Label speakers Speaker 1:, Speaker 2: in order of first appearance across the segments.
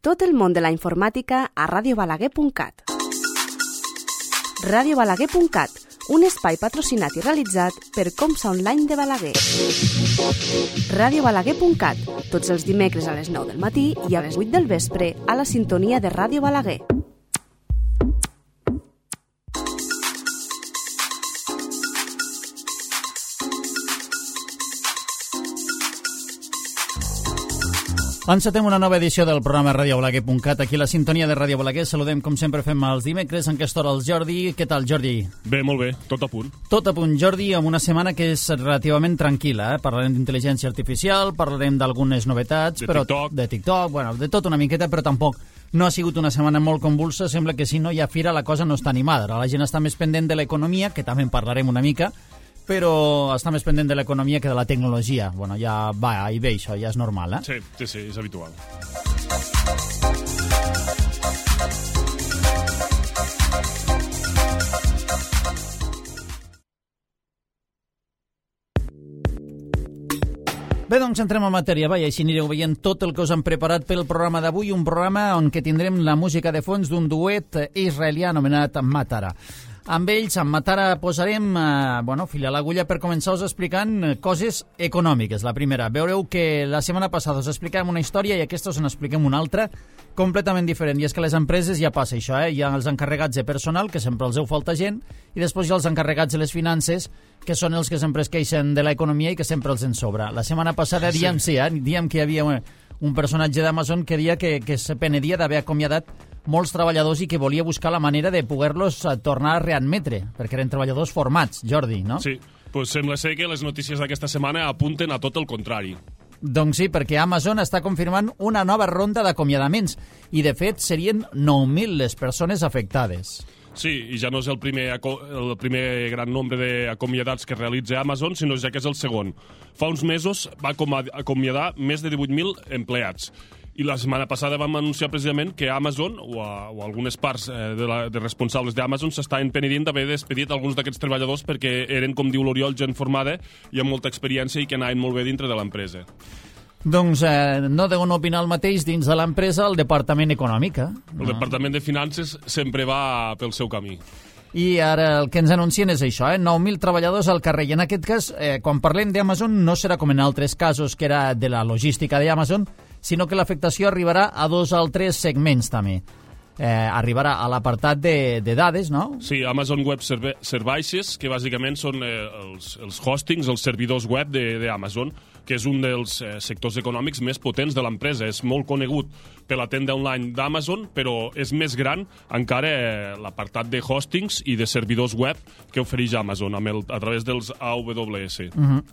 Speaker 1: Tot el món de la informàtica a radiobalaguer.cat. Radiobalaguer.cat, un espai patrocinat i realitzat per Comsa Online de Balaguer. Radiobalaguer.cat, tots els dimecres a les 9 del matí i a les 8 del vespre a la sintonia de Ràdio Balaguer.
Speaker 2: Encetem una nova edició del programa radiobalaguer.cat. Aquí a la sintonia de Ràdio Balaguer saludem, com sempre fem els dimecres, en aquesta hora el Jordi. Què tal, Jordi?
Speaker 3: Bé, molt bé, tot a punt.
Speaker 2: Tot a punt, Jordi, amb una setmana que és relativament tranquil·la. Parlarem d'intel·ligència artificial, parlarem d'algunes novetats, de TikTok, bueno, de tot una miqueta, però tampoc no ha sigut una setmana molt convulsa. Sembla que si no hi ha fira la cosa no està animada. Ara la gent està més pendent de l'economia, que també en parlarem una mica, però està més pendent de l'economia que de la tecnologia. Bueno, ja va i ve, això ja és normal, eh?
Speaker 3: Sí, és habitual.
Speaker 2: Bé, doncs entrem en matèria, i així anireu veient tot el que us han preparat pel programa d'avui, un programa on que tindrem la música de fons d'un duet israelià anomenat Matara. Amb ells, amb Matara, posarem fil a l'agulla per començar-vos explicant coses econòmiques. La primera, veureu que la setmana passada us explicàvem una història i aquesta us n'expliquem una altra completament diferent. I és que a les empreses ja passa això, hi ha els encarregats de personal, que sempre els falta gent, i després hi ha els encarregats de les finances, que són els que sempre es queixen de l'economia i que sempre els en sobra. La setmana passada diem que hi havia un personatge d'Amazon que deia que se penedia d'haver acomiadat molts treballadors i que volia buscar la manera de poder-los tornar a readmetre, perquè eren treballadors formats, Jordi, no?
Speaker 3: Sí, doncs sembla ser que les notícies d'aquesta setmana apunten a tot el contrari.
Speaker 2: Doncs sí, perquè Amazon està confirmant una nova ronda d'acomiadaments i, de fet, serien 9.000 les persones afectades.
Speaker 3: Sí, i ja no és el primer gran nombre d'acomiadats que realitza Amazon, sinó ja que és el segon. Fa uns mesos va acomiadar més de 18.000 empleats. I la setmana passada vam anunciar precisament que Amazon, o algunes parts de responsables d'Amazon, s'estaven penedint d'haver despedit alguns d'aquests treballadors perquè eren, com diu l'Oriol, gent formada i amb molta experiència i que anaven molt bé dintre de l'empresa.
Speaker 2: Doncs no deuen opinar el mateix dins de l'empresa el Departament Econòmic.
Speaker 3: El Departament de Finances sempre va pel seu camí.
Speaker 2: I ara el que ens anuncien és això, 9.000 treballadors al carrer. I en aquest cas, quan parlem d'Amazon, no serà com en altres casos que era de la logística d'Amazon, sinó que l'afectació arribarà a dos altres segments també. Arribarà a l'apartat de dades, no?
Speaker 3: Sí, Amazon Web Services, que bàsicament són els hostings, els servidors web d'Amazon, que és un dels sectors econòmics més potents de l'empresa. És molt conegut per la tenda online d'Amazon, però és més gran encara l'apartat de hostings i de servidors web que ofereix Amazon a través dels AWS.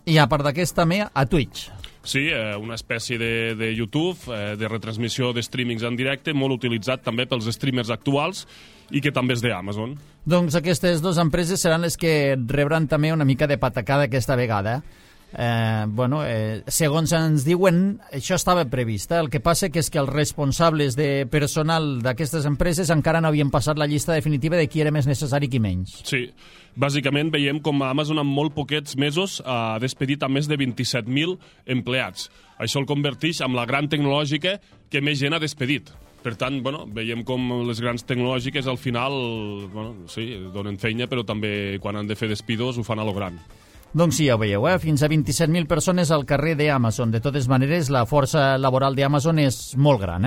Speaker 2: I a part d'aquest també a Twitch.
Speaker 3: Sí, una espècie de YouTube, de retransmissió de streamings en directe, molt utilitzat també pels streamers actuals i que també és d'Amazon.
Speaker 2: Doncs aquestes dues empreses seran les que rebran també una mica de patacada aquesta vegada. Segons ens diuen, això estava previst. El que passa que és que els responsables de personal d'aquestes empreses encara no havien passat la llista definitiva de qui era més necessari i qui menys.
Speaker 3: Sí, bàsicament veiem com Amazon en molt poquets mesos ha despedit a més de 27.000 empleats. Això el converteix en la gran tecnològica que més gent ha despedit. Per tant, veiem com les grans tecnològiques al final donen feina, però també quan han de fer despidos ho fan a lo gran.
Speaker 2: Doncs sí, ja ho veieu, fins a 27.000 persones al carrer d'Amazon. De totes maneres, la força laboral d'Amazon és molt gran,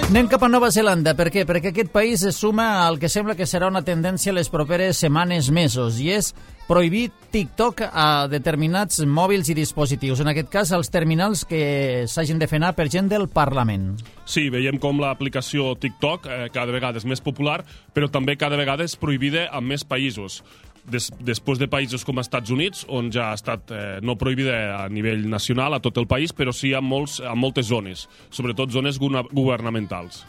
Speaker 2: Anem cap a Nova Zelanda. Per què? Perquè aquest país es suma al que sembla que serà una tendència les properes setmanes, mesos, i és prohibir TikTok a determinats mòbils i dispositius. En aquest cas, els terminals que s'hagin de fer anar per gent del Parlament.
Speaker 3: Sí, veiem com l'aplicació TikTok cada vegada és més popular, però també cada vegada és prohibida en més països. Després de països com els Estats Units, on ja ha estat no prohibida a nivell nacional a tot el país, però sí a moltes zones, sobretot zones governamentals.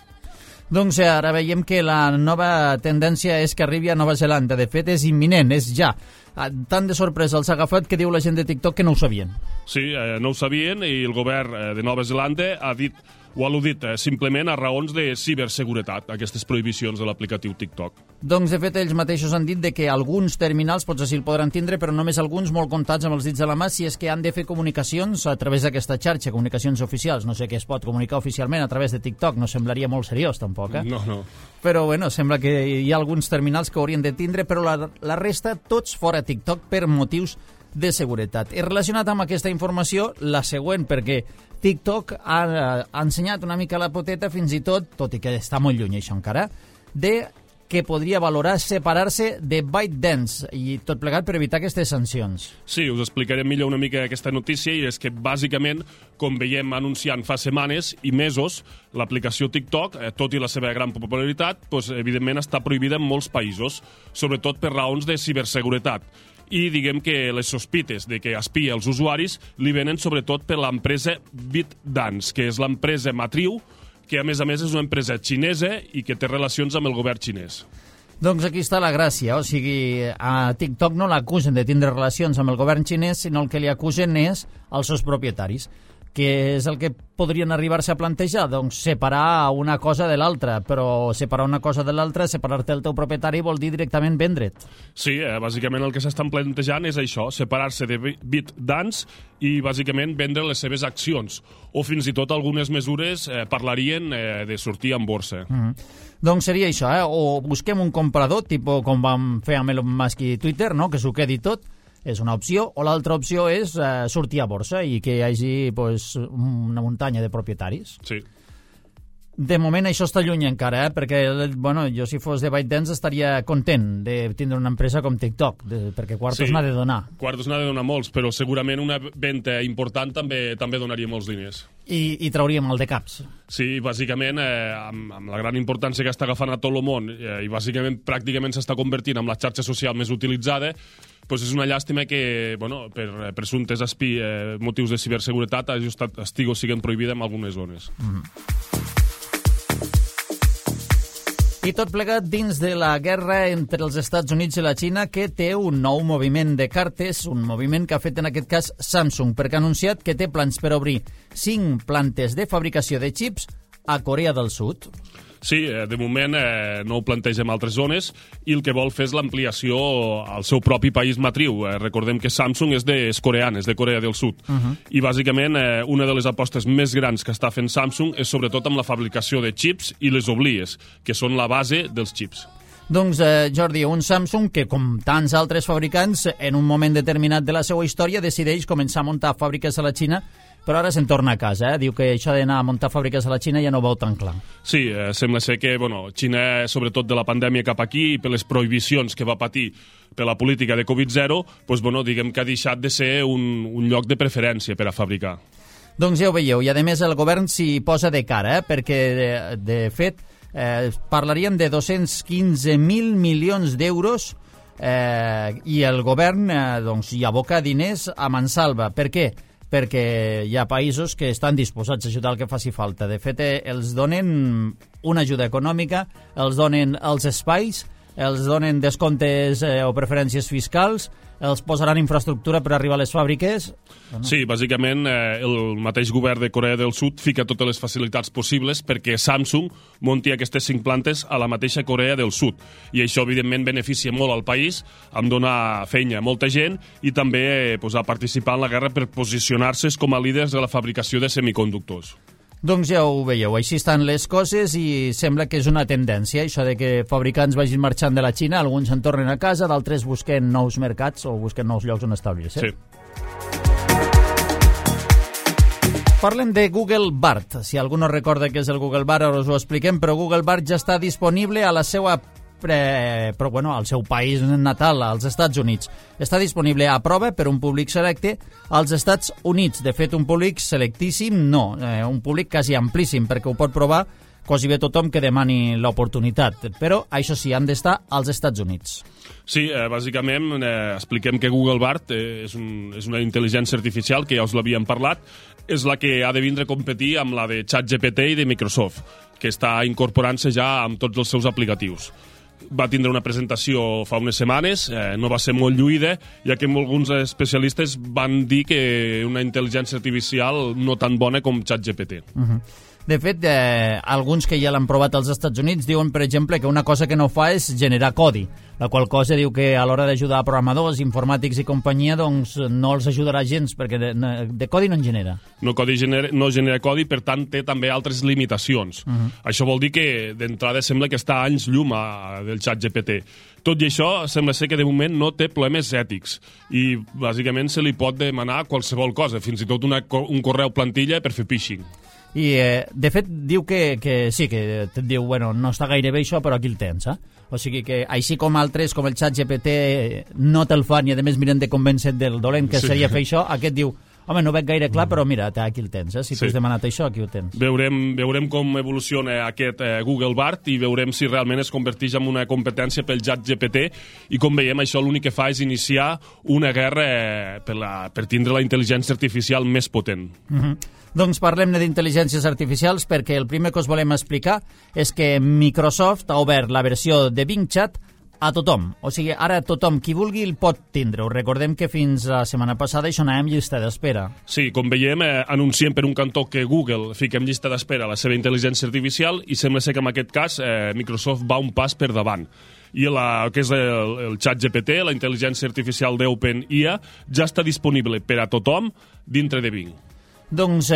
Speaker 2: Doncs ara veiem que la nova tendència és que arribi a Nova Zelanda. De fet, és imminent, és ja. Tant de sorpresa els ha agafat que diu la gent de TikTok que no ho sabien.
Speaker 3: Sí, no ho sabien i el govern de Nova Zelanda ha dit o ha al·ludit simplement a raons de ciberseguretat, aquestes prohibicions de l'aplicatiu TikTok.
Speaker 2: Doncs, de fet, ells mateixos han dit que alguns terminals potser sí el podran tindre, però només alguns molt comptats amb els dits de la mà si és que han de fer comunicacions a través d'aquesta xarxa, comunicacions oficials. No sé què es pot comunicar oficialment a través de TikTok, no semblaria molt seriós, tampoc,
Speaker 3: No.
Speaker 2: Però, bueno, sembla que hi ha alguns terminals que haurien de tindre, però la resta, tots fora TikTok per motius de seguretat. I relacionat amb aquesta informació, la següent, perquè TikTok ha ensenyat una mica la poteta, fins i tot i que està molt lluny això encara, de que podria valorar separar-se de ByteDance i tot plegat per evitar aquestes sancions.
Speaker 3: Sí, us explicarem millor una mica aquesta notícia i és que bàsicament, com veiem anunciant fa setmanes i mesos, l'aplicació TikTok, tot i la seva gran popularitat, evidentment està prohibida en molts països, sobretot per raons de ciberseguretat. I diguem que les sospites de que espia els usuaris li venen sobretot per l'empresa ByteDance, que és l'empresa matriu, que a més és una empresa xinesa i que té relacions amb el govern xinès.
Speaker 2: Doncs aquí està la gràcia, o sigui, a TikTok no l'acusen de tindre relacions amb el govern xinès, sinó el que li acusen és als seus propietaris. Què és el que podrien arribar-se a plantejar? Doncs separar una cosa de l'altra, però separar una cosa de l'altra, separar-te del teu propietari vol dir directament vendre't.
Speaker 3: Sí, bàsicament el que s'estan plantejant és això, separar-se de ByteDance i bàsicament vendre les seves accions, o fins i tot algunes mesures parlarien de sortir en borsa.
Speaker 2: Doncs seria això, o busquem un comprador, tipus com vam fer amb Elon Musk i Twitter, no? Que s'ho quedi tot, és una opció, o l'altra opció és sortir a borsa i que hi hagi una muntanya de propietaris.
Speaker 3: Sí.
Speaker 2: De moment això està lluny encara, perquè jo si fos de ByteDance estaria content de tindre una empresa com TikTok, perquè quartos n'ha de donar.
Speaker 3: Quartos n'ha de donar molts, però segurament una venda important també donaria molts diners.
Speaker 2: I trauria mal de caps.
Speaker 3: Sí, bàsicament, amb la gran importància que està agafant a tot el món i bàsicament pràcticament s'està convertint en la xarxa social més utilitzada, doncs és una llàstima que, per presumptes motius de ciberseguretat estiguen prohibida en algunes zones.
Speaker 2: I tot plegat dins de la guerra entre els Estats Units i la Xina, que té un nou moviment de cartes, un moviment que ha fet en aquest cas Samsung, perquè ha anunciat que té plans per obrir 5 plantes de fabricació de xips a Corea del Sud.
Speaker 3: Sí, de moment no ho planteja en altres zones i el que vol fer és l'ampliació al seu propi país matriu. Recordem que Samsung és coreana, és de Corea del Sud. I bàsicament una de les apostes més grans que està fent Samsung és sobretot amb la fabricació de xips i les oblies, que són la base dels xips.
Speaker 2: Doncs, Jordi, un Samsung que, com tants altres fabricants, en un moment determinat de la seva història decideix començar a muntar fàbriques a la Xina, però ara se'n torna a casa, Diu que això d'anar a muntar fàbriques a la Xina ja no ho veu tan clar.
Speaker 3: Sí, sembla ser que, Xina, sobretot de la pandèmia cap aquí, i per les prohibicions que va patir per la política de Covid-0, diguem que ha deixat de ser un lloc de preferència per a fabricar.
Speaker 2: Doncs ja ho veieu, i a més el govern s'hi posa de cara, perquè, de fet, parlaríem de 215.000 milions d'euros i el govern hi aboca diners a mansalva. Per què? Perquè hi ha països que estan disposats a ajudar el que faci falta. De fet, els donen una ajuda econòmica, els donen els espais, els donen descomptes o preferències fiscals, els posaran infraestructura per arribar a les fàbriques.
Speaker 3: Sí, bàsicament el mateix govern de Corea del Sud fica totes les facilitats possibles perquè Samsung munti aquestes 5 plantes a la mateixa Corea del Sud. I això, evidentment, beneficia molt al país, amb donar feina a molta gent i també a participar en la guerra per posicionar-se com a líders de la fabricació de semiconductors.
Speaker 2: Doncs ja ho veieu, així estan les coses i sembla que és una tendència, això de que fabricants vagin marxant de la Xina, alguns se'n tornen a casa, d'altres busquen nous mercats o busquen nous llocs on establir-se.
Speaker 3: Sí.
Speaker 2: Parlem de Google Bard. Si algú no recorda què és el Google Bard, ara us ho expliquem, però Google Bard ja està disponible a la seva al seu país natal, als Estats Units. Està disponible a prova per un públic selecte als Estats Units. De fet, un públic selectíssim, no, un públic quasi amplíssim, perquè ho pot provar quasi bé tothom que demani l'oportunitat. Però, això sí, han d'estar als Estats Units.
Speaker 3: Sí, bàsicament expliquem que Google Bard és una intel·ligència artificial, que ja us l'havíem parlat, és la que ha de vindre a competir amb la de ChatGPT i de Microsoft, que està incorporant-se ja amb tots els seus aplicatius. va tindre una presentació fa unes setmanes, no va ser molt lluïda, ja que alguns especialistes van dir que una intel·ligència artificial no tan bona com ChatGPT.
Speaker 2: De fet, alguns que ja l'han provat als Estats Units diuen, per exemple, que una cosa que no fa és generar codi, la qual cosa diu que a l'hora d'ajudar programadors, informàtics i companyia, doncs no els ajudarà gens, perquè de codi no en genera.
Speaker 3: No genera codi, per tant, té també altres limitacions. Això vol dir que, d'entrada, sembla que està a anys llum del ChatGPT. Tot i això, sembla ser que de moment no té problemes ètics i, bàsicament, se li pot demanar qualsevol cosa, fins i tot un correu plantilla per fer phishing.
Speaker 2: I, de fet, diu que sí, que et diu, bueno, no està gaire bé això, però aquí el tens, O sigui que, així com altres, com el ChatGPT, no te'l fan i, a més, miren de convèncer del dolent que seria fer això, aquest diu, home, no veig gaire clar, però mira, aquí el tens, Si tu has demanat això, aquí ho tens.
Speaker 3: Veurem com evoluciona aquest Google Bard i veurem si realment es converteix en una competència pel ChatGPT i, com veiem, això l'únic que fa és iniciar una guerra per tindre la intel·ligència artificial més potent.
Speaker 2: Doncs parlem-ne d'intel·ligències artificials perquè el primer que us volem explicar és que Microsoft ha obert la versió de Bing Chat a tothom. O sigui, ara tothom, qui vulgui, el pot tindre. Us recordem que fins la setmana passada això anàvem llista d'espera.
Speaker 3: Sí, com veiem, anunciem per un cantó que Google fica en llista d'espera la seva intel·ligència artificial i sembla ser que en aquest cas Microsoft va un pas per davant. I el que és el ChatGPT, la intel·ligència artificial d'OpenAI, ja està disponible per a tothom dintre de Bing.
Speaker 2: Doncs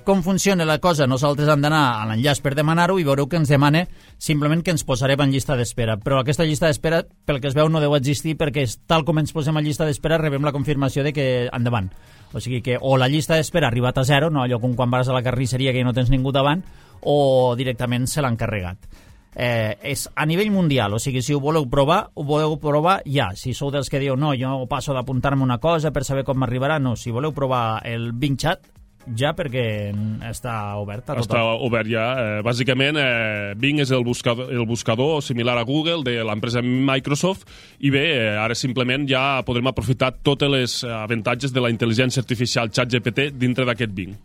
Speaker 2: com funciona la cosa? Nosaltres hem d'anar a l'enllaç per demanar-ho i veureu que ens demana simplement que ens posarem en llista d'espera. Però aquesta llista d'espera, pel que es veu, no deu existir perquè tal com ens posem en llista d'espera rebem la confirmació de que endavant. O sigui que o la llista d'espera ha arribat a zero, no allò com quan vas a la carnisseria que no tens ningú davant, o directament se l'han carregat. És a nivell mundial, o sigui, si ho voleu provar ja. Si sou dels que dieu, no, jo passo d'apuntar-me una cosa per saber com m'arribarà, no, si voleu provar el Bing Chat, ja, perquè està obert a tothom.
Speaker 3: Està obert ja. Bàsicament, Bing és el buscador similar a Google de l'empresa Microsoft i bé, ara simplement ja podrem aprofitar tots els avantatges de la intel·ligència artificial ChatGPT dintre d'aquest Bing.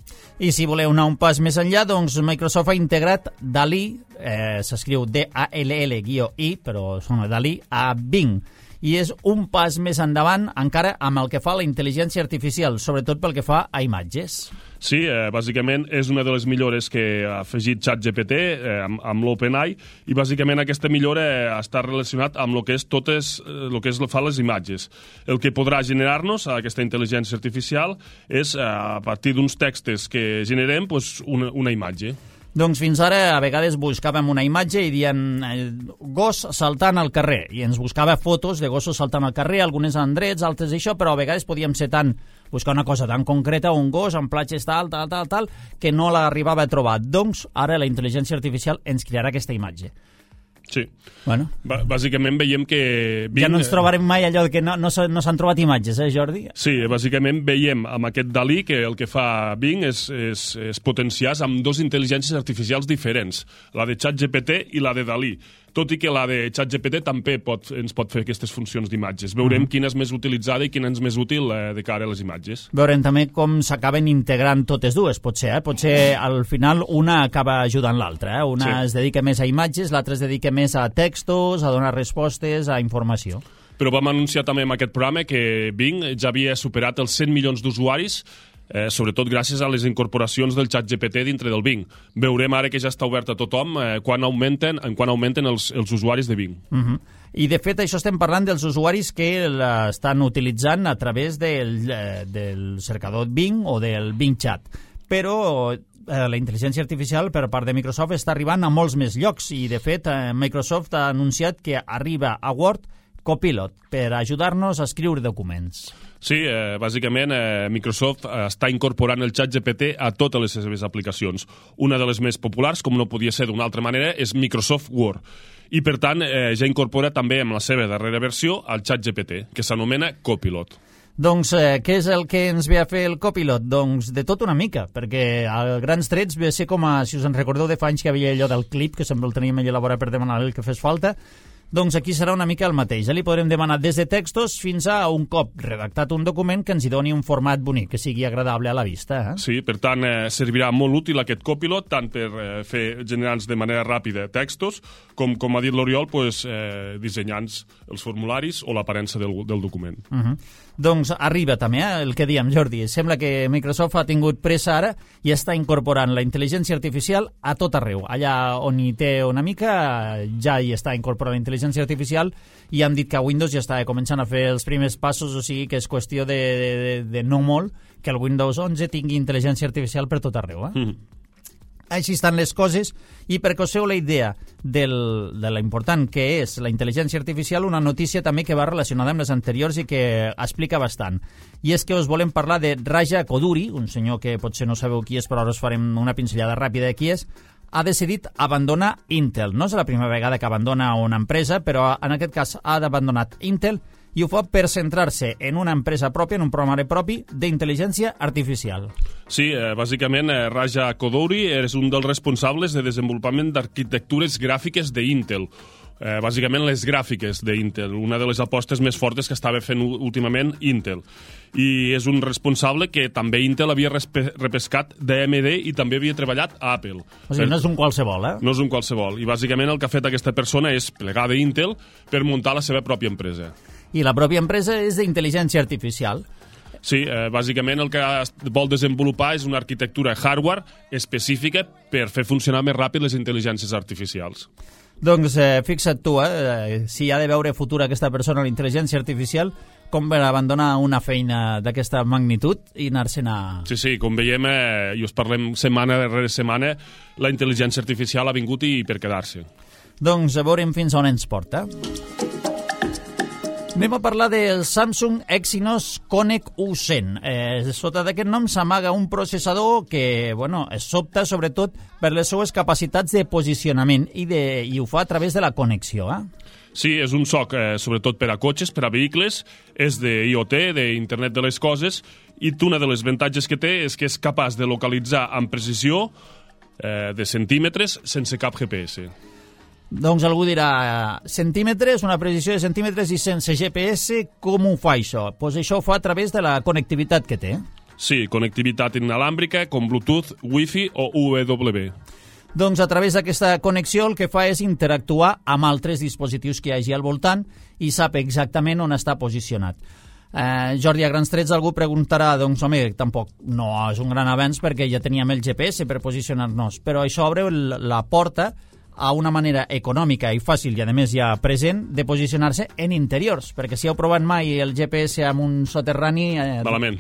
Speaker 2: I si voleu anar un pas més enllà, doncs Microsoft ha integrat DALL-E, s'escriu D-A-L-L-I, però sona DALL-E, a Bing. I és un pas més endavant encara amb el que fa la intel·ligència artificial, sobretot pel que fa a imatges.
Speaker 3: Sí, bàsicament és una de les millores que ha afegit ChatGPT amb l'OpenAI i bàsicament aquesta millora està relacionat amb el que és fa les imatges. El que podrà generar-nos aquesta intel·ligència artificial és a partir d'uns textos que generem una imatge.
Speaker 2: Doncs fins ara a vegades buscàvem una imatge i diem gos saltant al carrer i ens buscava fotos de gossos saltant al carrer, algunes en drets, altres això, però a vegades podíem ser buscar una cosa tan concreta, un gos en platges tal, que no l'arribava a trobar. Doncs ara la intel·ligència artificial ens crearà aquesta imatge.
Speaker 3: Sí.
Speaker 2: Bueno.
Speaker 3: Bàsicament veiem que Bing...
Speaker 2: Ja no ens trobarem mai allò que no s'han trobat imatges, Jordi?
Speaker 3: Sí, bàsicament veiem amb aquest DALL-E que el que fa Bing és potenciar amb dues intel·ligències artificials diferents, la de ChatGPT i la de DALL-E. Tot i que la de ChatGPT també ens pot fer aquestes funcions d'imatges. Veurem quina és més utilitzada i quina és més útil de cara a les imatges.
Speaker 2: Veurem també com s'acaben integrant totes dues, potser. Potser al final una acaba ajudant l'altra. Una es dedica més a imatges, l'altra es dedica més a textos, a donar respostes, a informació.
Speaker 3: Però vam anunciar també en aquest programa que Bing ja havia superat els 100 milions d'usuaris, sobretot gràcies a les incorporacions del ChatGPT dintre del Bing. Veurem ara que ja està obert a tothom quan augmenten els usuaris de Bing.
Speaker 2: I de fet això estem parlant dels usuaris que l'estan utilitzant a través del cercador Bing o del Bing Chat. Però la intel·ligència artificial per part de Microsoft està arribant a molts més llocs i de fet Microsoft ha anunciat que arriba a Word Copilot per ajudar-nos a escriure documents.
Speaker 3: Sí, bàsicament Microsoft està incorporant el ChatGPT a totes les seves aplicacions. Una de les més populars, com no podia ser d'una altra manera, és Microsoft Word. I per tant ja incorpora també amb la seva darrera versió el ChatGPT, que s'anomena Copilot.
Speaker 2: Doncs què és el que ens ve a fer el Copilot? Doncs de tot una mica, perquè a grans trets ve a ser com si us en recordeu de fa anys que havia allò del clip, que sempre el teníem allà a la vora per demanar el que fes falta. Doncs aquí serà una mica el mateix. Ja li podrem demanar des de textos fins a un cop redactat un document que ens hi doni un format bonic, que sigui agradable a la vista.
Speaker 3: Sí, per tant, servirà molt útil aquest copilot, tant per fer generant de manera ràpida textos, com ha dit l'Oriol, dissenyant els formularis o l'aparença del document.
Speaker 2: Doncs arriba també el que diem, Jordi. Sembla que Microsoft ha tingut pressa ara i està incorporant la intel·ligència artificial a tot arreu. Allà on hi té una mica, ja hi està incorporant la intel·ligència artificial i han dit que a Windows ja està començant a fer els primers passos, o sigui que és qüestió de no molt que el Windows 11 tingui intel·ligència artificial per tot arreu. Així estan les coses, i perquè us feu la idea de la important que és la intel·ligència artificial, una notícia també que va relacionada amb les anteriors i que explica bastant. I és que us volem parlar de Raja Koduri, un senyor que potser no sabeu qui és, però ara us farem una pinzellada ràpida de qui és. Ha decidit abandonar Intel. No és la primera vegada que abandona una empresa, però en aquest cas ha abandonat Intel i ho fa per centrar-se en una empresa pròpia, en un programari propi d'intel·ligència artificial.
Speaker 3: Sí, bàsicament Raja Koduri és un dels responsables de desenvolupament d'arquitectures gràfiques d'Intel. Bàsicament les gràfiques d'Intel, una de les apostes més fortes que estava fent últimament Intel. I és un responsable que també Intel havia repescat d'AMD i també havia treballat a Apple.
Speaker 2: O sigui, no és un qualsevol,
Speaker 3: No és un qualsevol. I bàsicament el que ha fet aquesta persona és plegar d'Intel per muntar la seva pròpia empresa.
Speaker 2: I la pròpia empresa és d'intel·ligència artificial.
Speaker 3: Sí, bàsicament el que vol desenvolupar és una arquitectura hardware específica per fer funcionar més ràpid les intel·ligències artificials.
Speaker 2: Doncs fixa't tu, si ha de veure futur aquesta persona a la intel·ligència artificial, com per abandonar una feina d'aquesta magnitud i anar-se'n a...
Speaker 3: Sí, com veiem, i us parlem setmana darrere setmana, la intel·ligència artificial ha vingut i per quedar-se.
Speaker 2: Doncs veurem fins on ens porta. Anem a parlar del Samsung Exynos Connect U100. Sota d'aquest nom s'amaga un processador que es sobta sobretot per les seues capacitats de posicionament i ho fa a través de la connexió.
Speaker 3: Sí, és un SoC sobretot per a cotxes, per a vehicles, és d'IoT, d'Internet de les Coses, i una de les avantatges que té és que és capaç de localitzar amb precisió de centímetres sense cap GPS.
Speaker 2: Doncs algú dirà, centímetres, una precisió de centímetres i sense GPS, com ho fa això? Doncs això ho fa a través de la connectivitat que té.
Speaker 3: Sí, connectivitat inalàmbrica com Bluetooth, Wi-Fi o UWB.
Speaker 2: Doncs a través d'aquesta connexió el que fa és interactuar amb altres dispositius que hi hagi al voltant i sap exactament on està posicionat. Jordi, a grans trets algú preguntarà, doncs home, tampoc no és un gran avenç perquè ja teníem el GPS per posicionar-nos, però això obre la porta a una manera econòmica i fàcil i a més ja present de posicionar-se en interiors, perquè si heu provat mai el GPS amb un soterrani...
Speaker 3: Malament.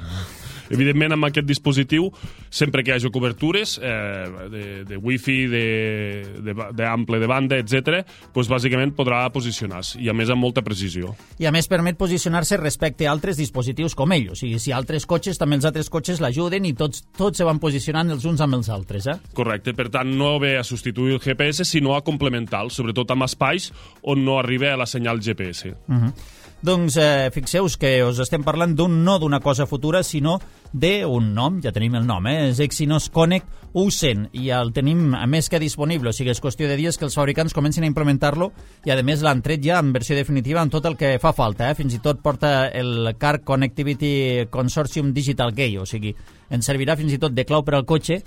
Speaker 3: Evidentment, amb aquest dispositiu, sempre que hi hagi cobertures de Wi-Fi, d'ample de banda, etc., doncs bàsicament podrà posicionar-se, i a més amb molta precisió.
Speaker 2: I a més permet posicionar-se respecte a altres dispositius com ell, o sigui, si altres cotxes, també els altres cotxes l'ajuden i tots se van posicionant els uns amb els altres.
Speaker 3: Correcte, per tant, no ve a substituir el GPS, sinó a complementar-lo, sobretot amb espais on no arriba la senyal GPS.
Speaker 2: Doncs fixeu-vos que us estem parlant no d'una cosa futura, sinó d'un nom, ja tenim el nom, és Exynos Connect U100, i el tenim més que disponible, o sigui, és qüestió de dies que els fabricants comencin a implementar-lo, i a més l'han tret ja en versió definitiva amb tot el que fa falta, fins i tot porta el Car Connectivity Consortium Digital Key, o sigui, ens servirà fins i tot de clau per al cotxe,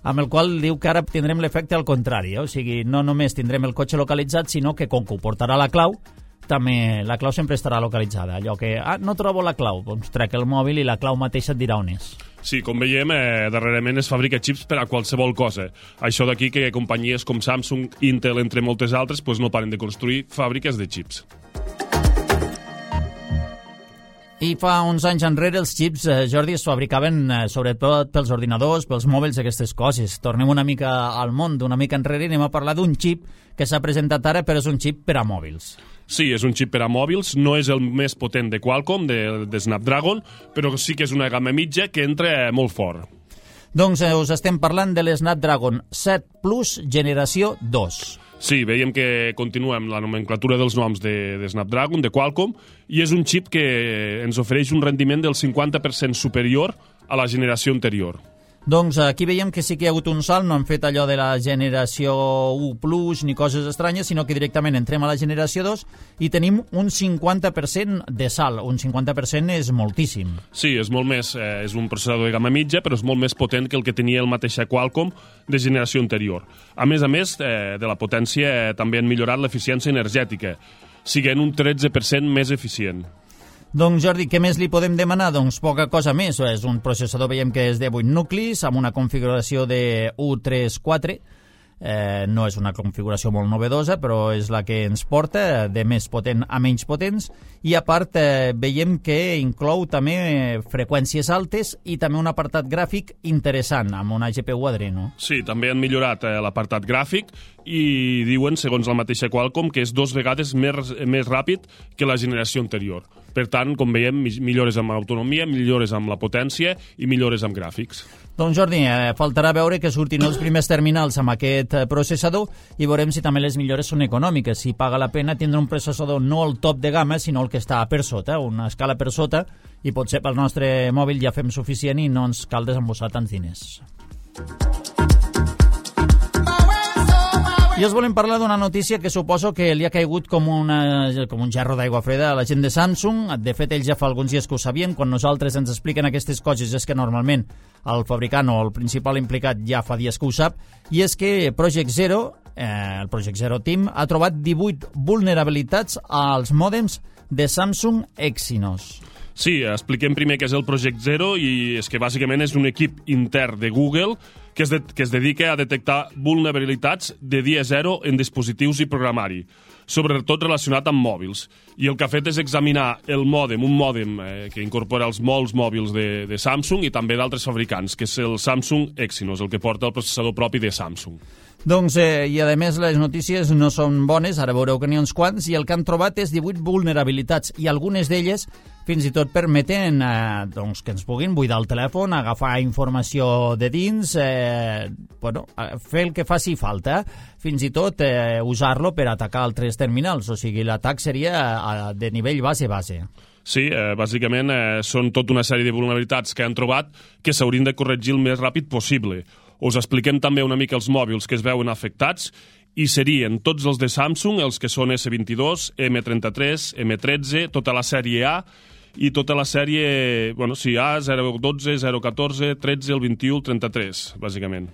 Speaker 2: amb el qual diu que ara tindrem l'efecte al contrari, o sigui, no només tindrem el cotxe localitzat, sinó que com que ho portarà la clau, també la clau sempre estarà localitzada. Allò que, no trobo la clau, doncs trec el mòbil i la clau mateixa et dirà on és.
Speaker 3: Sí, com veiem, darrerament es fabrica xips per a qualsevol cosa. Això d'aquí que companyies com Samsung, Intel, entre moltes altres, no paren de construir fàbriques de xips.
Speaker 2: I fa uns anys enrere els xips, Jordi, es fabricaven sobretot pels ordinadors, pels mòbils, aquestes coses. Tornem una mica al món, una mica enrere, i anem a parlar d'un xip que s'ha presentat ara, però és un xip per a mòbils.
Speaker 3: Sí, és un xip per a mòbils, no és el més potent de Qualcomm, de Snapdragon, però sí que és una gamma mitja que entra molt fort.
Speaker 2: Doncs us estem parlant de l'Snapdragon 7 Plus generació 2.
Speaker 3: Sí, veiem que continua amb la nomenclatura dels noms de Snapdragon, de Qualcomm, i és un xip que ens ofereix un rendiment del 50% superior a la generació anterior.
Speaker 2: Doncs aquí veiem que sí que hi ha hagut un salt, no han fet allò de la generació 1+, ni coses estranyes, sinó que directament entrem a la generació 2 i tenim un 50% de salt. Un 50% és moltíssim.
Speaker 3: Sí, és molt més, és un processador de gamma mitja, però és molt més potent que el que tenia el mateix Qualcomm de generació anterior. A més, de la potència també han millorat l'eficiència energètica, siguent un 13% més eficient.
Speaker 2: Doncs Jordi, què més li podem demanar? Doncs poca cosa més. És un processador, veiem que és de 8 nuclis, amb una configuració de 1.3.4. No és una configuració molt novedosa, però és la que ens porta, de més potent a menys potents. I a part, veiem que inclou també freqüències altes i també un apartat gràfic interessant, amb una GPU Adreno.
Speaker 3: Sí, també han millorat l'apartat gràfic i diuen, segons la mateixa Qualcomm, que és 2 vegades més ràpid que la generació anterior. Per tant, com veiem, millores amb l'autonomia, millores amb la potència i millores amb gràfics.
Speaker 2: Doncs Jordi, faltarà veure que surtin els primers terminals amb aquest processador i veurem si també les millores són econòmiques, si paga la pena tindre un processador no el top de gamma, sinó el que està per sota, una escala per sota, i potser pel nostre mòbil ja fem suficient i no ens cal desembossar tants diners. I us volem parlar d'una notícia que suposo que li ha caigut com un gerro d'aigua freda a la gent de Samsung. De fet, ells ja fa alguns dies que ho sabien. Quan nosaltres ens expliquen aquestes coses és que normalment el fabricant o el principal implicat ja fa dies que ho sap, i és que Project Zero, el Project Zero Team, ha trobat 18 vulnerabilitats als mòdems de Samsung Exynos.
Speaker 3: Sí, expliquem primer què és el Project Zero, i és que bàsicament és un equip intern de Google que es dedica a detectar vulnerabilitats de dia zero en dispositius i programari, sobretot relacionat amb mòbils. I el que ha fet és examinar un mòdem que incorpora els molts mòbils de Samsung i també d'altres fabricants, que és el Samsung Exynos, el que porta el processador propi de Samsung.
Speaker 2: Doncs, i a més les notícies no són bones, ara veureu que n'hi ha uns quants, i el que han trobat és 18 vulnerabilitats, i algunes d'elles fins i tot permeten que ens puguin buidar el telèfon, agafar informació de dins, fer el que faci falta, fins i tot usar-lo per atacar altres terminals, o sigui, l'atac seria de nivell base.
Speaker 3: Sí, bàsicament són tota una sèrie de vulnerabilitats que han trobat que s'haurien de corregir el més ràpid possible. Us expliquem també una mica els mòbils que es veuen afectats, i serien tots els de Samsung, els que són S22, M33, M13, tota la sèrie A i tota la sèrie, A, 012, 014, 13, el 21, el 33, bàsicament.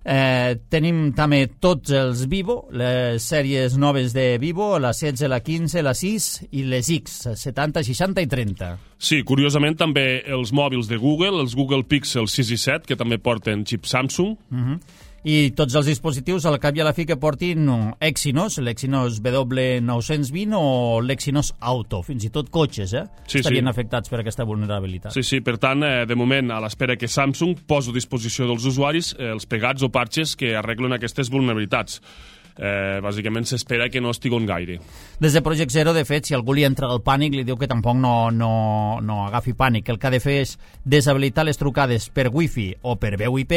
Speaker 2: Tenim també tots els Vivo, les sèries noves de Vivo, la 16, la 15, la 6 i les X, 70, 60 i 30.
Speaker 3: Sí, curiosament també els mòbils de Google, els Google Pixel 6 i 7, que també porten xip Samsung.
Speaker 2: I tots els dispositius al cap i a la fi que portin Exynos, l'Exynos W920 o l'Exynos Auto, fins i tot cotxes, estarien afectats per aquesta vulnerabilitat.
Speaker 3: Sí, per tant, de moment, a l'espera que Samsung posi a disposició dels usuaris els pegats o parxes que arreglen aquestes vulnerabilitats. Bàsicament s'espera que no estiguin gaire.
Speaker 2: Des de Project Zero, de fet, si algú li entra el pànic, li diu que tampoc no agafi pànic. El que ha de fer és deshabilitar les trucades per Wi-Fi o per veu IP,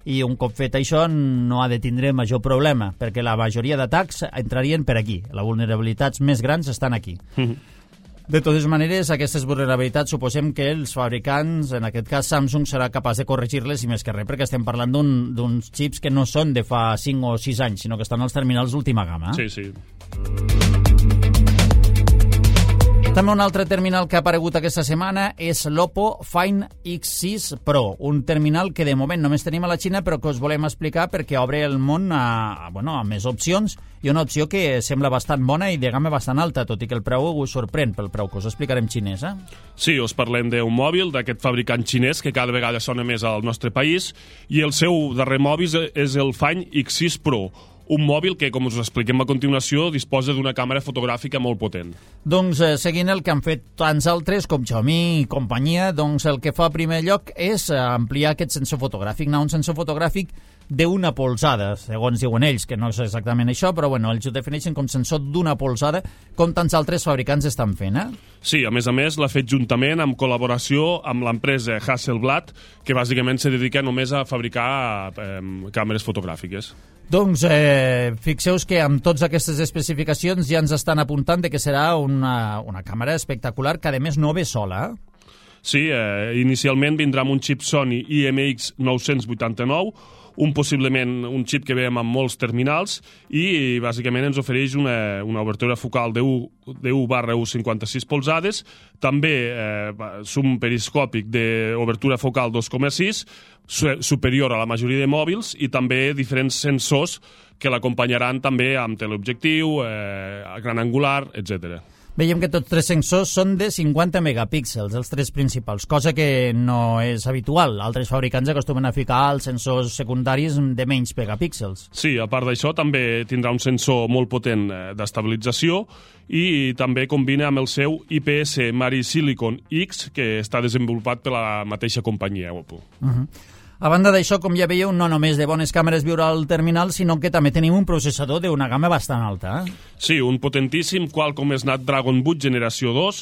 Speaker 2: i un cop fet això no ha de tindre major problema, perquè la majoria d'atacs entrarien per aquí. Les vulnerabilitats més grans estan aquí. De totes maneres, aquestes vulnerabilitats suposem que els fabricants, en aquest cas Samsung, serà capaç de corregir-les, i més que res, perquè estem parlant d'uns xips que no són de fa 5 o 6 anys, sinó que estan als terminals d'última gamma.
Speaker 3: Sí.
Speaker 2: També un altre terminal que ha aparegut aquesta setmana és l'Oppo Find X6 Pro, un terminal que de moment només tenim a la Xina, però que us volem explicar perquè obre el món a més opcions, i una opció que sembla bastant bona i de gamma bastant alta, tot i que el preu us sorprèn pel preu, que us explicarem xinès.
Speaker 3: Sí, us parlem d'un mòbil d'aquest fabricant xinès que cada vegada sona més al nostre país, i el seu darrer mòbil és el Find X6 Pro, un mòbil que, com us expliquem a continuació, disposa d'una càmera fotogràfica molt potent.
Speaker 2: Doncs, seguint el que han fet tants altres, com Xiaomi i companyia, doncs el que fa a primer lloc és ampliar aquest sensor fotogràfic, un sensor fotogràfic d'una polzada, segons diuen ells, que no és exactament això, però ells ho defineixen com sensor d'una polzada, com tants altres fabricants estan fent,
Speaker 3: Sí, a més l'ha fet juntament amb col·laboració amb l'empresa Hasselblad, que bàsicament se dedica només a fabricar càmeres fotogràfiques.
Speaker 2: Doncs fixeu-vos que amb totes aquestes especificacions ja ens estan apuntant de que serà una càmera espectacular, que a més no ve sola.
Speaker 3: Sí, inicialment vindrà amb un xip Sony IMX 989, possiblement un xip que veiem en molts terminals i bàsicament ens ofereix una obertura focal de 1/1,56 polzades, també zoom periscòpic d'obertura focal 2,6, superior a la majoria de mòbils, i també diferents sensors que l'acompanyaran també amb teleobjectiu, gran angular, etc.
Speaker 2: Veiem que tots tres sensors són de 50 megapíxels, els tres principals, cosa que no és habitual. Altres fabricants acostumen a ficar els sensors secundaris de menys megapíxels.
Speaker 3: Sí, a part d'això també tindrà un sensor molt potent d'estabilització i també combina amb el seu IPS Mari Silicon X, que està desenvolupat per la mateixa companyia Oppo.
Speaker 2: A banda d'això, com ja veieu, no només de bones càmeres viurà al terminal, sinó que també tenim un processador d'una gamma bastant alta.
Speaker 3: Sí, un potentíssim Qualcomm Snapdragon 8 generació 2,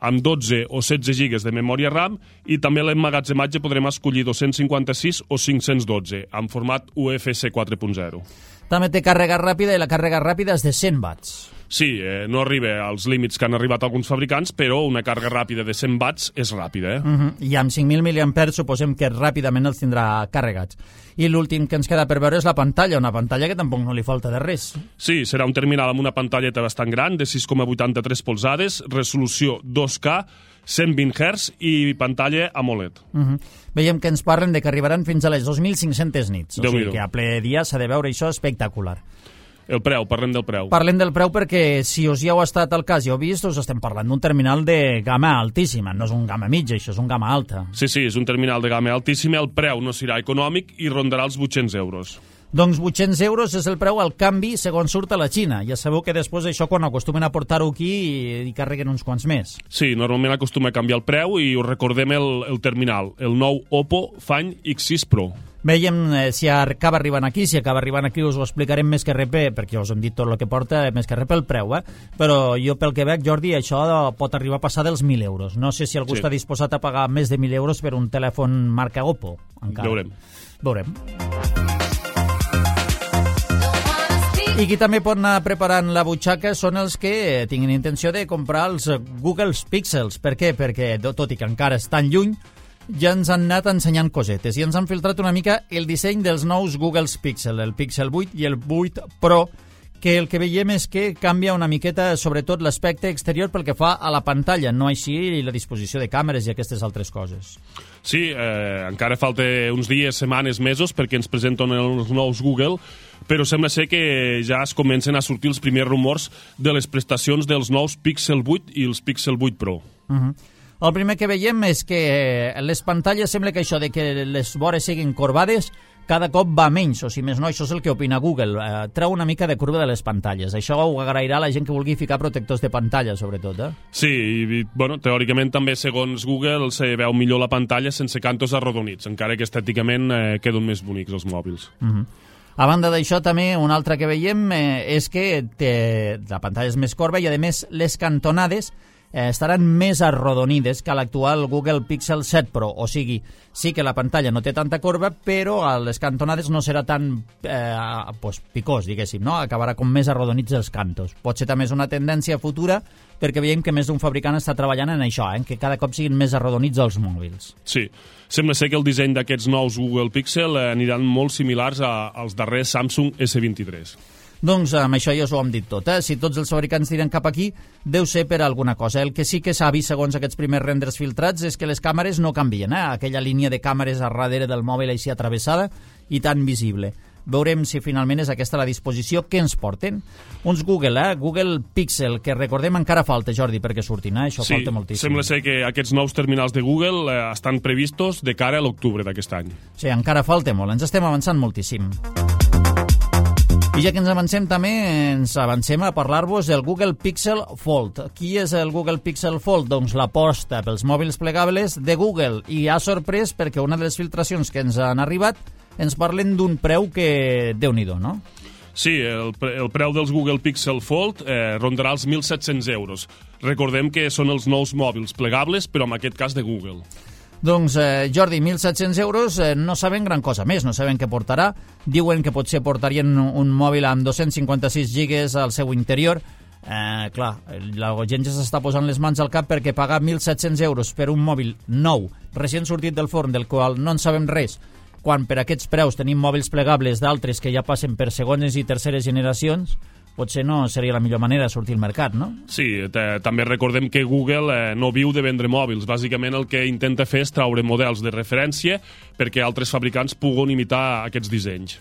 Speaker 3: amb 12 o 16 GB de memòria RAM, i també l'emmagatzematge podrem escollir 256 o 512, en format UFC 4.0.
Speaker 2: També té càrrega ràpida, i la càrrega ràpida és de 100 watts.
Speaker 3: Sí, no arriba als límits que han arribat alguns fabricants, però una càrrega ràpida de 100 watts és ràpida.
Speaker 2: I amb 5.000 mAh suposem que ràpidament els tindrà carregats. I l'últim que ens queda per veure és la pantalla, una pantalla que tampoc no li falta de res.
Speaker 3: Sí, serà un terminal amb una pantalleta bastant gran, de 6,83 polzades, resolució 2K, 120 Hz i pantalla AMOLED.
Speaker 2: Veiem que ens parlen de que arribaran fins a les 2.500 nits. O sigui que a ple dia s'ha de veure això espectacular.
Speaker 3: El preu, parlem del preu.
Speaker 2: Parlem del preu perquè, si us ja heu estat al cas i heu vist, us estem parlant d'un terminal de gamma altíssima. No és un gamma mitja, això és un gamma alta.
Speaker 3: Sí, és un terminal de gamma altíssima. El preu no serà econòmic i rondarà els 800 euros.
Speaker 2: Doncs 800 euros és el preu al canvi segons surt a la Xina. Ja sabeu que després això, quan acostumen a portar-ho aquí, hi carreguen uns quants més.
Speaker 3: Sí, normalment acostuma a canviar el preu i us recordem el terminal, el nou Oppo Find X6 Pro.
Speaker 2: Veiem si acaba arribant aquí, us ho explicarem més que res, perquè us hem dit tot el que porta, més que res pel preu, però jo pel que veig, Jordi, això pot arribar a passar dels 1.000 euros. No sé si algú està disposat a pagar més de 1.000 euros per un telèfon marca Oppo. Encara.
Speaker 3: Veurem.
Speaker 2: I qui també pot anar preparant la butxaca són els que tinguin intenció de comprar els Google Pixels. Per què? Perquè, tot i que encara estan lluny, ja ens han anat ensenyant cosetes i ens han filtrat una mica el disseny dels nous Google Pixel, el Pixel 8 i el 8 Pro, que el que veiem és que canvia una miqueta, sobretot l'aspecte exterior pel que fa a la pantalla, no així la disposició de càmeres i aquestes altres coses.
Speaker 3: Sí, encara falta uns dies, setmanes, mesos perquè ens presenten els nous Google, però sembla ser que ja es comencen a sortir els primers rumors de les prestacions dels nous Pixel 8 i els Pixel 8 Pro.
Speaker 2: El primer que veiem és que les pantalles sembla que això de que les vores siguin corbades cada cop va menys, o si més no, això és el que opina Google. Treu una mica de curva de les pantalles. Això ho agrairà la gent que vulgui ficar protectors de pantalla, sobretot.
Speaker 3: Sí, i teòricament també, segons Google, se veu millor la pantalla sense cantos arrodonits, encara que estèticament queden més bonics els mòbils.
Speaker 2: A banda d'això, també, un altre que veiem és que la pantalla és més corba i, a més, les cantonades estaran més arrodonides que l'actual Google Pixel 7 Pro. O sigui, sí que la pantalla no té tanta corba, però a les cantonades no serà tan picós, diguéssim, no? Acabarà com més arrodonits els cantos. Potser també és una tendència futura, perquè veiem que més d'un fabricant està treballant en això, que cada cop siguin més arrodonits els mòbils.
Speaker 3: Sí, sembla ser que el disseny d'aquests nous Google Pixel aniran molt similars als darrers Samsung S23.
Speaker 2: Doncs amb això ja us ho hem dit tot. Si tots els fabricants tiren cap aquí, deu ser per alguna cosa. El que sí que s'ha vist, segons aquests primers renders filtrats, és que les càmeres no canvien. Aquella línia de càmeres a darrere del mòbil així atravessada i tan visible. Veurem si finalment és aquesta la disposició que ens porten. Uns Google Pixel, que recordem encara falta, Jordi, perquè surtin. Això falta moltíssim.
Speaker 3: Sí, sembla ser que aquests nous terminals de Google estan previstos de cara a l'octubre d'aquest any.
Speaker 2: Sí, encara falta molt. Ens estem avançant moltíssim. I ja que ens avancem, també ens avancem a parlar-vos del Google Pixel Fold. Qui és el Google Pixel Fold? Doncs l'aposta pels mòbils plegables de Google. I ha sorprès perquè una de les filtracions que ens han arribat ens parlen d'un preu que Déu-n'hi-do, no?
Speaker 3: Sí, el preu dels Google Pixel Fold rondarà els 1.700 euros. Recordem que són els nous mòbils plegables, però en aquest cas de Google.
Speaker 2: Doncs, Jordi, 1.700 euros, no saben gran cosa més, no saben què portarà. Diuen que potser portarien un mòbil amb 256 gigas al seu interior. Clar, la gent ja s'està posant les mans al cap perquè pagar 1.700 euros per un mòbil nou, recent sortit del forn, del qual no en sabem res, quan per aquests preus tenim mòbils plegables d'altres que ja passen per segones i terceres generacions, potser no seria la millor manera de sortir al mercat, no?
Speaker 3: Sí, també recordem que Google no viu de vendre mòbils. Bàsicament el que intenta fer és traure models de referència perquè altres fabricants puguin imitar aquests dissenys.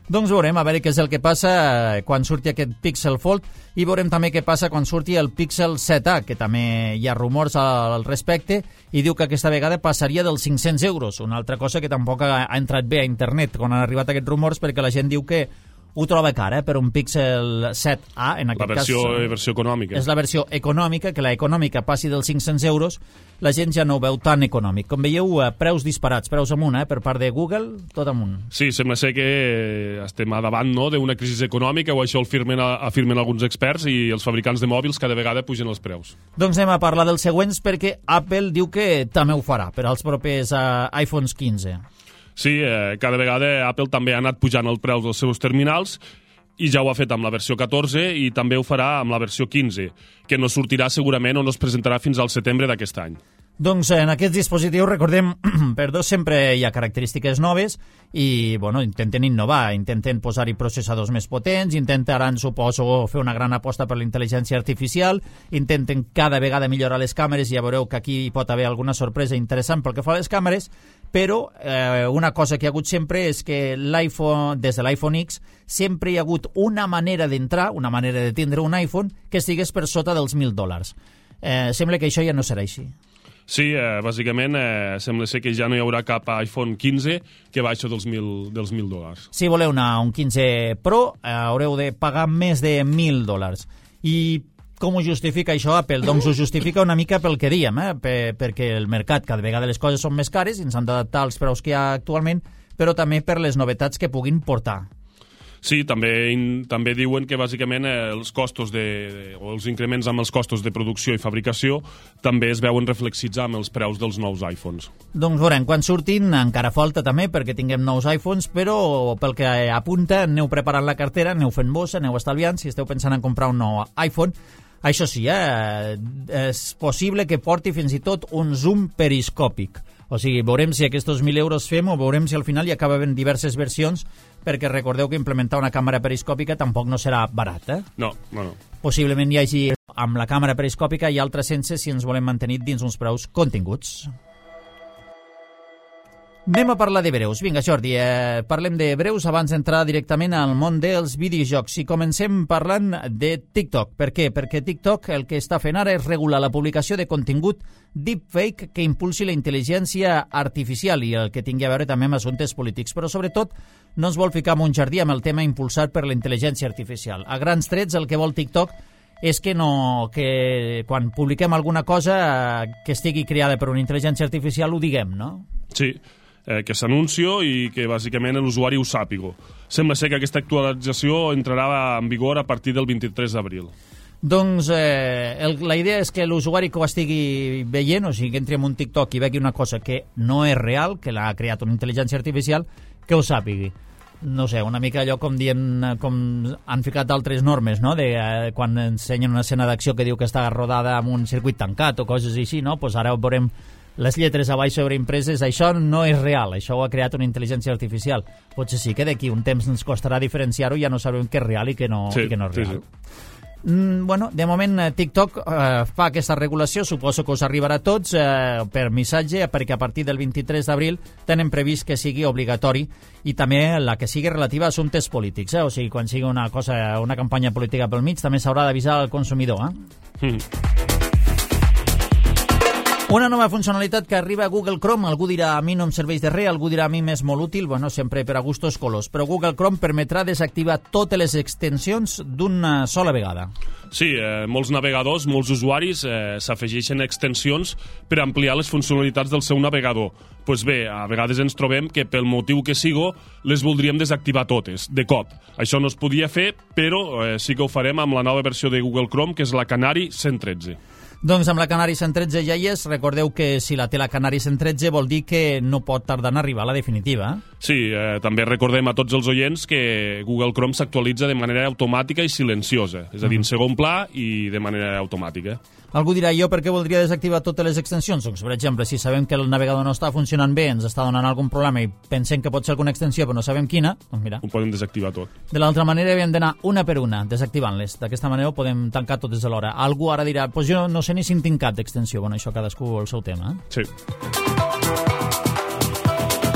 Speaker 2: Doncs veurem a veure què és el que passa quan surti aquest Pixel Fold i veurem també què passa quan surti el Pixel 7a, que també hi ha rumors al respecte i diu que aquesta vegada passaria dels 500 euros, una altra cosa que tampoc ha entrat bé a internet quan han arribat aquests rumors perquè la gent diu que ho troba cara per un Pixel 7a, en aquest cas.
Speaker 3: La versió econòmica.
Speaker 2: És la versió econòmica, que la econòmica passi dels 500 euros, la gent ja no ho veu tan econòmic. Com veieu, preus disparats, preus amunt, per part de Google, tot amunt.
Speaker 3: Sí, sembla ser que estem a davant d'una crisi econòmica, o això afirmen alguns experts, i els fabricants de mòbils cada vegada pugen els preus.
Speaker 2: Doncs anem a parlar dels següents, perquè Apple diu que també ho farà per als propers iPhones 15.
Speaker 3: Sí, cada vegada Apple també ha anat pujant el preu dels seus terminals i ja ho ha fet amb la versió 14 i també ho farà amb la versió 15, que no sortirà segurament o no es presentarà fins al setembre d'aquest any.
Speaker 2: Doncs en aquests dispositius, recordem, sempre hi ha característiques noves i intenten innovar, intenten posar-hi processadors més potents, intentaran, suposo, fer una gran aposta per la intel·ligència artificial, intenten cada vegada millorar les càmeres i ja veureu que aquí hi pot haver alguna sorpresa interessant pel que fa a les càmeres, però una cosa que hi ha hagut sempre és que des de l'iPhone X sempre hi ha hagut una manera d'entrar, una manera de tindre un iPhone que estigués per sota dels $1.000. Sembla que això ja no serà així.
Speaker 3: Sí, bàsicament sembla ser que ja no hi haurà cap iPhone 15 que baixi dels $1.000.
Speaker 2: Si voleu un 15 Pro, haureu de pagar més de $1.000. I com ho justifica això Apple? Doncs ho justifica una mica pel que diem, perquè el mercat cada vegada les coses són més cares i ens han d'adaptar als preus que hi ha actualment, però també per les novetats que puguin portar.
Speaker 3: Sí, també diuen que bàsicament els costos o els increments amb els costos de producció i fabricació també es veuen reflexits amb els preus dels nous iPhones.
Speaker 2: Doncs veurem, quan surtin encara falta també perquè tinguem nous iPhones, però pel que apunta aneu preparant la cartera, aneu fent bossa, aneu estalviant, si esteu pensant en comprar un nou iPhone. Això sí, és possible que porti fins i tot un zoom periscòpic. O sigui, veurem si aquests 1.000 euros fem o veurem si al final hi acaben diverses versions, perquè recordeu que implementar una càmera periscòpica tampoc no serà barat,
Speaker 3: No.
Speaker 2: Possiblement hi hagi amb la càmera periscòpica i altres sense si ens volem mantenir dins uns preus continguts. Anem a parlar de breus. Vinga, Jordi, parlem de breus abans d'entrar directament al món dels videojocs. I comencem parlant de TikTok. Per què? Perquè TikTok el que està fent ara és regular la publicació de contingut deepfake que impulsi la intel·ligència artificial i el que tingui a veure també amb assumptes polítics. Però sobretot no es vol ficar en un jardí amb el tema impulsat per la intel·ligència artificial. A grans trets el que vol TikTok és que quan publiquem alguna cosa que estigui creada per una intel·ligència artificial ho diguem, no?
Speaker 3: Sí, que s'anuncio i que bàsicament l'usuari ho sàpiga. Sembla ser que aquesta actualització entrarà en vigor a partir del 23 d'abril.
Speaker 2: Doncs la idea és que l'usuari que ho estigui veient, o sigui, que entri en un TikTok i vegi una cosa que no és real, que l'ha creat una intel·ligència artificial, que ho sàpigui. No sé, una mica allò com han ficat altres normes, no? Quan ensenyen una escena d'acció que diu que està rodada amb un circuit tancat o coses així, no? Doncs ara veurem les lletres a baix sobre impreses, això no és real, això ho ha creat una intel·ligència artificial. Potser sí que d'aquí un temps ens costarà diferenciar-ho i ja no sabrem què és real i què no és real. Sí. De moment TikTok fa aquesta regulació, suposo que us arribarà a tots per missatge, perquè a partir del 23 d'abril tenen previst que sigui obligatori i també la que sigui relativa a assumptes polítics, o sigui, quan sigui una campanya política pel mig també s'haurà d'avisar al consumidor. Una nova funcionalitat que arriba a Google Chrome. Algú dirà, a mi no em serveix de res, algú dirà, a mi m'és molt útil, sempre per a gustos colors, però Google Chrome permetrà desactivar totes les extensions d'una sola vegada.
Speaker 3: Sí, molts navegadors, molts usuaris s'afegeixen extensions per ampliar les funcionalitats del seu navegador. Doncs bé, a vegades ens trobem que pel motiu que sigo les voldríem desactivar totes, de cop. Això no es podia fer, però sí que ho farem amb la nova versió de Google Chrome, que és la Canary 113.
Speaker 2: Doncs amb la Canari 113 ja hi és. Recordeu que si la té la Canari 113 vol dir que no pot tardar en arribar a la definitiva.
Speaker 3: Sí, també recordem a tots els oients que Google Chrome s'actualitza de manera automàtica i silenciosa, és a dir, en segon pla i de manera automàtica.
Speaker 2: Algú dirà, jo per què voldria desactivar totes les extensions? Doncs, per exemple, si sabem que el navegador no està funcionant bé, ens està donant algun problema i pensem que pot ser alguna extensió però no sabem quina, doncs mira.
Speaker 3: Ho podem desactivar tot.
Speaker 2: De l'altra manera havíem d'anar una per una, desactivant-les. D'aquesta manera ho podem tancar totes alhora. Algú ara dirà, doncs jo no sé ni si en tinc cap d'extensió. Bueno, això cadascú el seu tema.
Speaker 3: Sí.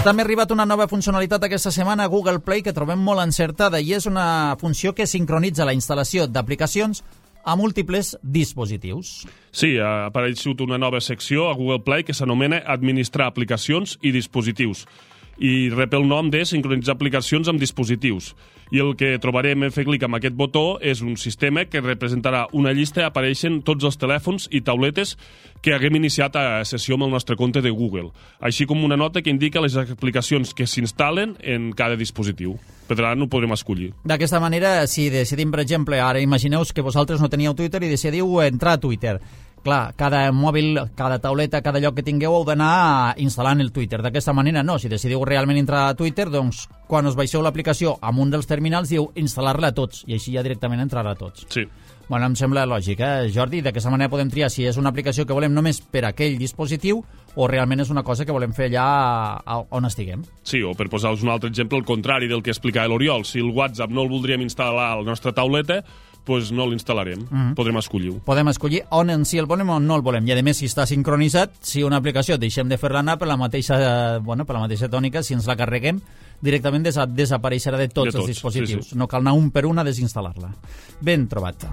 Speaker 2: També ha arribat una nova funcionalitat aquesta setmana a Google Play que trobem molt encertada i és una funció que sincronitza la instal·lació d'aplicacions a múltiples dispositius.
Speaker 3: Sí, ha aparegut una nova secció a Google Play que s'anomena Administrar aplicacions i dispositius i rep el nom de sincronitzar aplicacions amb dispositius. I el que trobarem en fer clic amb aquest botó és un sistema que representarà una llista on apareixen tots els telèfons i tauletes que haguem iniciat a sessió amb el nostre compte de Google, així com una nota que indica les aplicacions que s'instal·len en cada dispositiu. Per tant, ho podrem escollir.
Speaker 2: D'aquesta manera, si decidim, per exemple, ara imagineu que vosaltres no teníeu Twitter i decidiu entrar a Twitter. Clar, cada mòbil, cada tauleta, cada lloc que tingueu heu d'anar instal·lant el Twitter. D'aquesta manera no, si decidiu realment entrar a Twitter, doncs quan us baixeu l'aplicació amb un dels terminals diu instal·lar-la a tots i així ja directament entrarà a tots.
Speaker 3: Sí.
Speaker 2: Bueno, em sembla lògic, Jordi? D'aquesta manera podem triar si és una aplicació que volem només per a aquell dispositiu o realment és una cosa que volem fer allà on estiguem.
Speaker 3: Sí, o per posar-vos un altre exemple, el contrari del que explicava l'Oriol. Si el WhatsApp no el voldríem instal·lar a la nostra tauleta, doncs no l'instal·larem. Podrem escollir-ho.
Speaker 2: Podem escollir si el volem o no el volem. I a més, si està sincronitzat, si una aplicació deixem de fer-la anar per la mateixa tònica, si ens la carreguem, directament desapareixerà de tots els dispositius. Sí. No cal anar un per un a desinstal·lar-la. Ben trobat.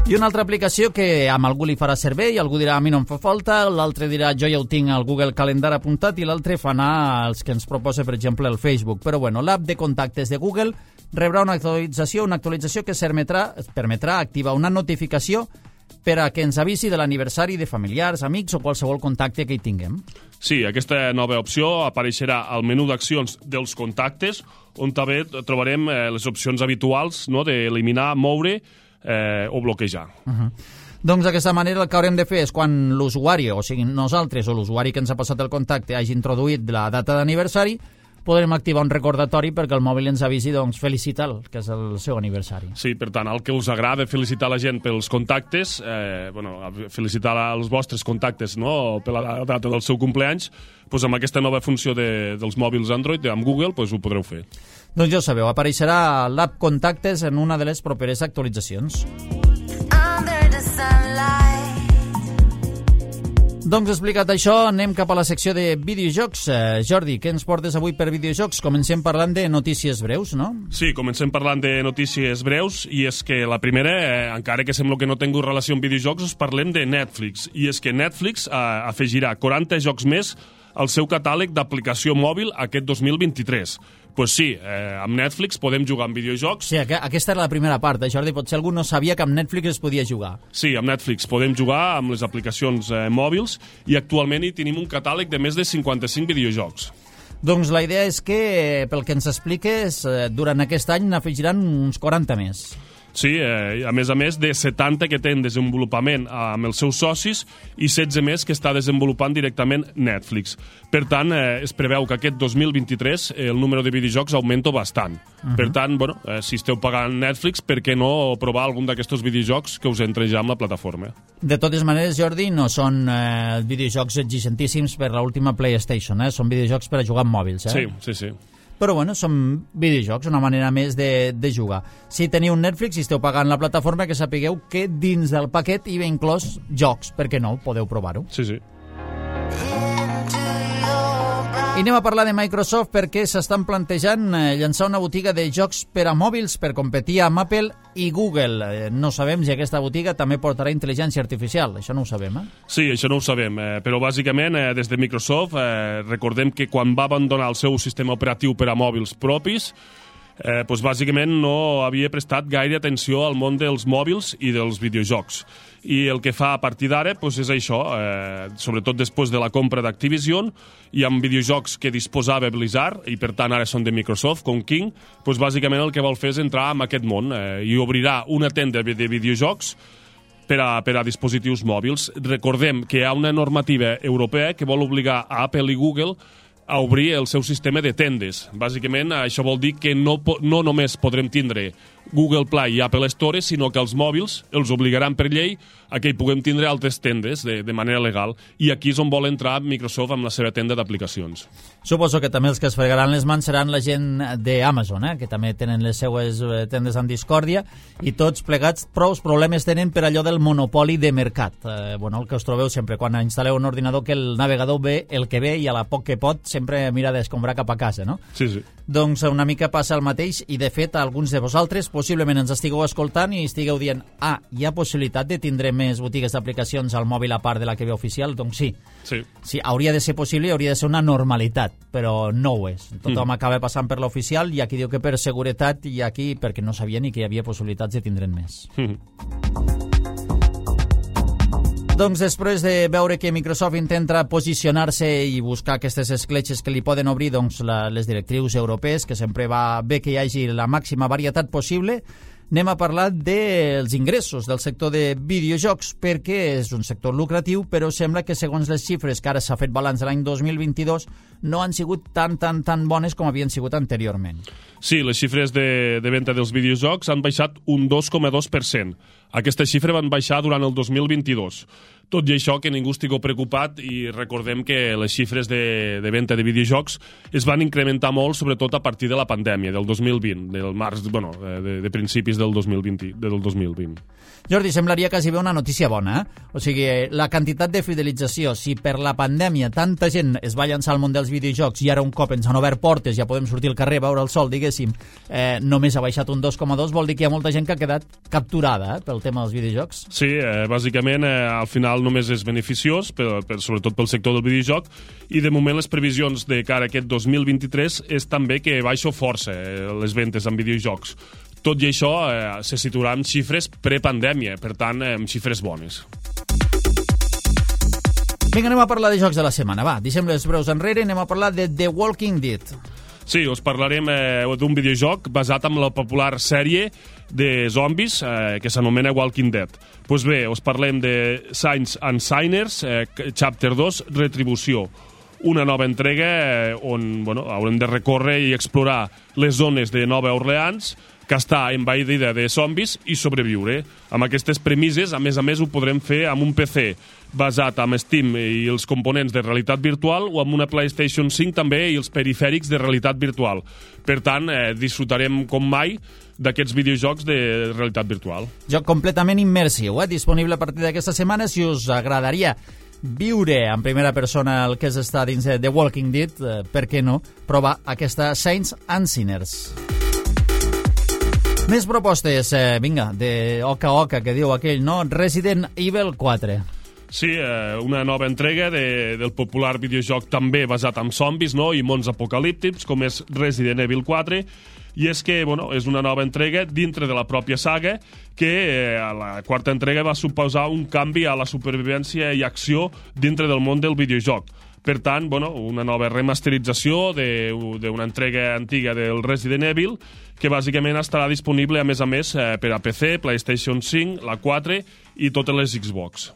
Speaker 2: I una altra aplicació que amb algú li farà servei, algú dirà a mi no em fa falta, l'altre dirà jo ja ho tinc al Google Calendar apuntat i l'altre fa anar els que ens proposa, per exemple, el Facebook. Però bueno, l'app de contactes de Google rebrà una actualització que permetrà activar una notificació per a que ens avisi de l'aniversari de familiars, amics o qualsevol contacte que hi tinguem.
Speaker 3: Sí, aquesta nova opció apareixerà al menú d'accions dels contactes, on també trobarem les opcions habituals, no?, d'eliminar, moure o bloquejar.
Speaker 2: Doncs d'aquesta manera el que haurem de fer és quan l'usuari, o sigui nosaltres o l'usuari que ens ha passat el contacte hagi introduït la data d'aniversari, podrem activar un recordatori perquè el mòbil ens avisi, doncs, felicita'l, que és el seu aniversari.
Speaker 3: Sí, per tant, el que us agrada felicitar la gent pels contactes, felicitar els vostres contactes, no?, per la data del seu cumpleaños, doncs amb aquesta nova funció dels mòbils Android, amb Google, doncs ho podreu fer.
Speaker 2: Doncs ja ho sabeu, apareixerà l'app Contactes en una de les properes actualitzacions. Doncs explicat això, anem cap a la secció de videojocs. Jordi, què ens portes avui per videojocs? Comencem parlant de notícies breus, no?
Speaker 3: Sí, comencem parlant de notícies breus, i és que la primera, encara que sembla que no tingui relació amb videojocs, us parlem de Netflix. I és que Netflix afegirà 40 jocs més al seu catàleg d'aplicació mòbil aquest 2023. Pues sí, amb Netflix podem jugar amb videojocs.
Speaker 2: Sí, aquesta era la primera part, Jordi. Potser algú no sabia que amb Netflix es podia jugar.
Speaker 3: Sí, amb Netflix podem jugar amb les aplicacions mòbils i actualment hi tenim un catàleg de més de 55 videojocs.
Speaker 2: Doncs la idea és que, pel que ens expliques, durant aquest any n'afegiran uns 40 més.
Speaker 3: Sí, a més de 70 que té en desenvolupament amb els seus socis i 16 més que està desenvolupant directament Netflix. Per tant, es preveu que aquest 2023 el número de videojocs augmenta bastant. Per tant, si esteu pagant Netflix, per què no provar algun d'aquests videojocs que us entre ja amb la plataforma?
Speaker 2: De totes maneres, Jordi, no són videojocs exigentíssims per l'última PlayStation, són videojocs per a jugar amb mòbils.
Speaker 3: Sí.
Speaker 2: Però bueno, són videojocs, una manera més de jugar. Si teniu un Netflix i esteu pagant la plataforma, que sapigueu que dins del paquet hi ve inclòs jocs, perquè no, podeu provar-ho.
Speaker 3: Sí.
Speaker 2: I anem a parlar de Microsoft perquè s'estan plantejant llançar una botiga de jocs per a mòbils per competir amb Apple i Google. No sabem si aquesta botiga també portarà intel·ligència artificial, això no ho sabem,
Speaker 3: Sí, això no ho sabem, però bàsicament des de Microsoft recordem que quan va abandonar el seu sistema operatiu per a mòbils propis bàsicament no havia prestat gaire atenció al món dels mòbils i dels videojocs. I el que fa a partir d'ara és això, sobretot després de la compra d'Activision, i amb videojocs que disposava Blizzard, i per tant ara són de Microsoft, com King, bàsicament el que vol fer és entrar en aquest món i obrirà una tenda de videojocs per a dispositius mòbils. Recordem que hi ha una normativa europea que vol obligar a Apple i Google a obrir el seu sistema de tendes. Bàsicament, això vol dir que no només podrem tindre Google Play i Apple Store, sinó que els mòbils els obligaran per llei a que hi puguem tindre altres tendes de manera legal. I aquí és on vol entrar Microsoft amb la seva tenda d'aplicacions.
Speaker 2: Suposo que també els que es fregaran les mans seran la gent d'Amazon, que també tenen les seues tendes en discòrdia, i tots plegats prou problemes tenen per allò del monopoli de mercat. El que us trobeu sempre quan instal·leu un ordinador, que el navegador ve el que ve i a la poc que pot sempre mira d'escombrar cap a casa, no?
Speaker 3: Sí, sí.
Speaker 2: Doncs una mica passa el mateix, i de fet alguns de vosaltres possiblement ens estigueu escoltant i estigueu dient hi ha possibilitat de tindre més botigues d'aplicacions al mòbil a part de la que ve oficial? Doncs sí. Sí, hauria de ser possible i hauria de ser una normalitat, però no ho és. Tothom acaba passant per l'oficial, i aquí diu que per seguretat, i aquí perquè no sabia ni que hi havia possibilitats de tindre'n més. Doncs després de veure que Microsoft intenta posicionar-se i buscar aquestes escletxes que li poden obrir les directrius europees, que sempre va bé que hi hagi la màxima varietat possible, anem a parlar dels ingressos del sector de videojocs, perquè és un sector lucratiu, però sembla que segons les xifres que ara s'ha fet balanç de l'any 2022 no han sigut tan bones com havien sigut anteriorment.
Speaker 3: Sí, les xifres de venda dels videojocs han baixat un 2,2%. Aquesta xifra van baixar durant el 2022. Tot i això, que ningú estigui preocupat, i recordem que les xifres de venda de videojocs es van incrementar molt, sobretot a partir de la pandèmia, del 2020, del març, de principis del 2020.
Speaker 2: Jordi, semblaria quasi bé una notícia bona, O sigui, la quantitat de fidelització, si per la pandèmia tanta gent es va llançar al món dels videojocs i ara un cop ens han obert portes, ja podem sortir al carrer, veure el sol, diguéssim, només ha baixat un 2,2, vol dir que hi ha molta gent que ha quedat capturada pel tema dels videojocs?
Speaker 3: Sí, bàsicament, al final només és beneficiós, sobretot pel sector del videojoc, i de moment les previsions de cara a aquest 2023 és també que baixo força les ventes en videojocs. Tot i això, se situarà en xifres prepandèmia, per tant, en xifres bones.
Speaker 2: Vinga, anem a parlar de jocs de la setmana. Va, deixem les breus enrere, anem a parlar de The Walking Dead.
Speaker 3: Sí, us parlarem d'un videojoc basat en la popular sèrie de zombis que s'anomena Walking Dead. Doncs bé, us parlem de Saints and Sinners, Chapter 2, Retribució. Una nova entrega on haurem de recórrer i explorar les zones de Nova Orleans, que està envaïda de zombis, i sobreviure. Amb aquestes premisses, a més, ho podrem fer amb un PC basat en Steam i els components de realitat virtual, o amb una PlayStation 5 també i els perifèrics de realitat virtual. Per tant, disfrutarem com mai d'aquests videojocs de realitat virtual.
Speaker 2: Joc completament immersiu, disponible a partir d'aquesta setmana. Si us agradaria viure en primera persona el que és estar dins de The Walking Dead, per què no provar aquesta Saints and Sinners. Més propostes, vinga, de oca a oca, que diu aquell, no? Resident Evil 4.
Speaker 3: Sí, una nova entrega del popular videojoc també basat en zombis, no?, i mons apocalíptics, com és Resident Evil 4, i és que, és una nova entrega dintre de la pròpia saga que a la quarta entrega va suposar un canvi a la supervivència i acció dintre del món del videojoc. Per tant, una nova remasterització d'una entrega antiga del Resident Evil, que bàsicament estarà disponible, a més, per a PC, PlayStation 5, la 4 i totes les Xbox.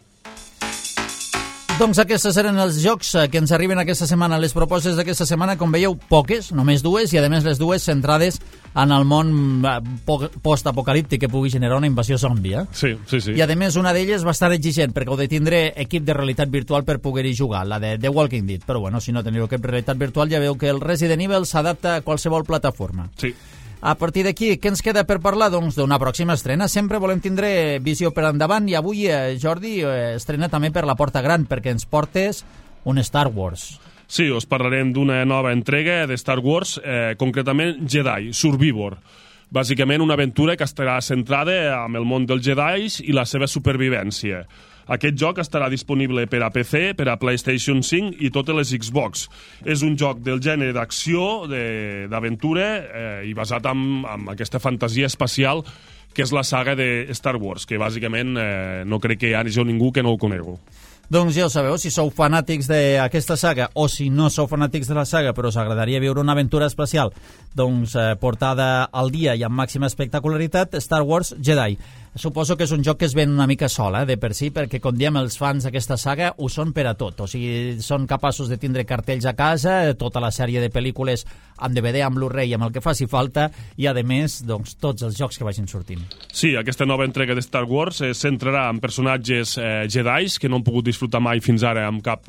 Speaker 2: Doncs aquests eren els jocs que ens arriben aquesta setmana. Les propostes d'aquesta setmana, com veieu, poques, només dues, i a més les dues centrades en el món post-apocalíptic que pugui generar una invasió zombi.
Speaker 3: Sí.
Speaker 2: I a més una d'elles bastant exigent, perquè heu de tindre equip de realitat virtual per poder-hi jugar, la de The Walking Dead. Però si no teniu equip de realitat virtual, ja veu que el Resident Evil s'adapta a qualsevol plataforma.
Speaker 3: Sí.
Speaker 2: A partir d'aquí, què ens queda per parlar? Doncs d'una pròxima estrena. Sempre volem tindre visió per endavant, i avui, Jordi, estrena també per la porta gran, perquè ens portes un Star Wars.
Speaker 3: Sí, us parlarem d'una nova entrega de Star Wars, concretament Jedi, Survivor. Bàsicament una aventura que estarà centrada en el món dels Jedis i la seva supervivència. Aquest joc estarà disponible per a PC, per a PlayStation 5 i totes les Xbox. És un joc del gènere d'acció, d'aventura i basat en aquesta fantasia espacial que és la saga de Star Wars, que bàsicament no crec que hi hagi ningú que no ho conegui.
Speaker 2: Doncs ja ho sabeu, si sou fanàtics d'aquesta saga o si no sou fanàtics de la saga però us agradaria viure una aventura espacial doncs portada al dia i amb màxima espectacularitat, Star Wars Jedi. Suposo que és un joc que es ven una mica sol, de per si, perquè com diem els fans d'aquesta saga ho són per a tot, o sigui, són capaços de tindre cartells a casa, tota la sèrie de pel·lícules amb DVD, amb Blu-ray, amb el que faci falta i a més, doncs, tots els jocs que vagin sortint.
Speaker 3: Sí, aquesta nova entrega de Star Wars es centrarà en personatges Jedis que no han pogut disfrutar mai fins ara amb cap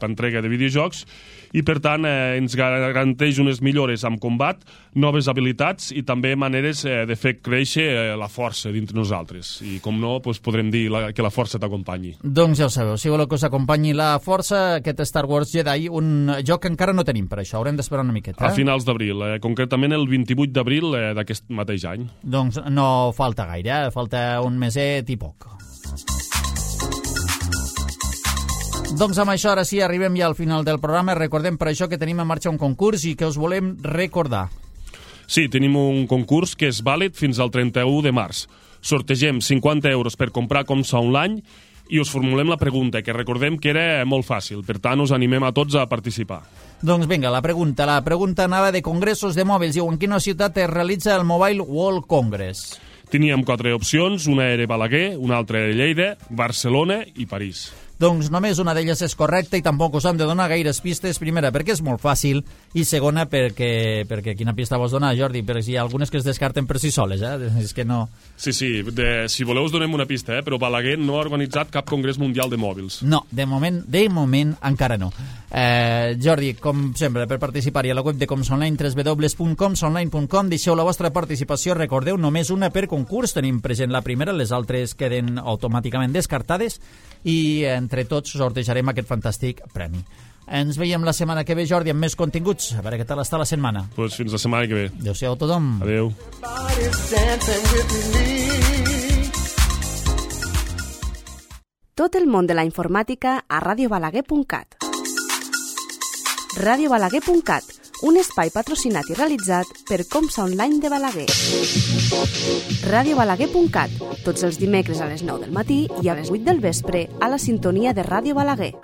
Speaker 3: entrega de videojocs i per tant ens garanteix unes millores amb combat, noves habilitats i també maneres de fer créixer la força dintre nosaltres. I com no, doncs podrem dir que la força t'acompanyi.
Speaker 2: Doncs ja ho sabeu, si voleu que us acompanyi la força, aquest Star Wars Jedi, un joc que encara no tenim per això, haurem d'esperar una miqueta.
Speaker 3: A finals d'abril, concretament el 28 d'abril d'aquest mateix any.
Speaker 2: Doncs no falta gaire, falta un meset i poc. Doncs amb això ara sí arribem ja al final del programa. Recordem per això que tenim en marxa un concurs i que us volem recordar.
Speaker 3: Sí, tenim un concurs que és vàlid fins al 31 de març. Sortegem 50 euros per comprar Comsa Online i us formulem la pregunta, que recordem que era molt fàcil. Per tant, us animem a tots a participar.
Speaker 2: Doncs vinga, la pregunta anava de congressos de mòbils. Diu, en quina ciutat es realitza el Mobile World Congress?
Speaker 3: Teníem 4 opcions, una era Balaguer, una altra era Lleida, Barcelona i París.
Speaker 2: Doncs només una d'elles és correcta i tampoc us hem de donar gaires pistes. Primera, perquè és molt fàcil, i segona, perquè quina pista vols donar, Jordi? Perquè hi ha algunes que es descarten per si soles, és que no...
Speaker 3: Sí, si voleu us donem una pista, però Balaguer no ha organitzat cap congrés mundial de mòbils.
Speaker 2: No, de moment encara no. Jordi, com sempre, per participar-hi a la web de Comsonline, www.comsonline.com, deixeu la vostra participació, recordeu, només una per concurs, tenim present la primera, les altres queden automàticament descartades, i entre tots sortejarem aquest fantàstic premi. Ens veiem la setmana que ve, Jordi, amb més continguts. A veure què tal està la setmana.
Speaker 3: Doncs fins la setmana que ve.
Speaker 2: Adéu-siau a tothom.
Speaker 3: Adéu.
Speaker 1: Tot el món de la informàtica a radiobalaguer.cat. radiobalaguer.cat, un espai patrocinat i realitzat per Comsa Online de Balaguer. radiobalaguer.cat, tots els dimecres a les 9 del matí i a les 8 del vespre a la sintonia de Ràdio Balaguer.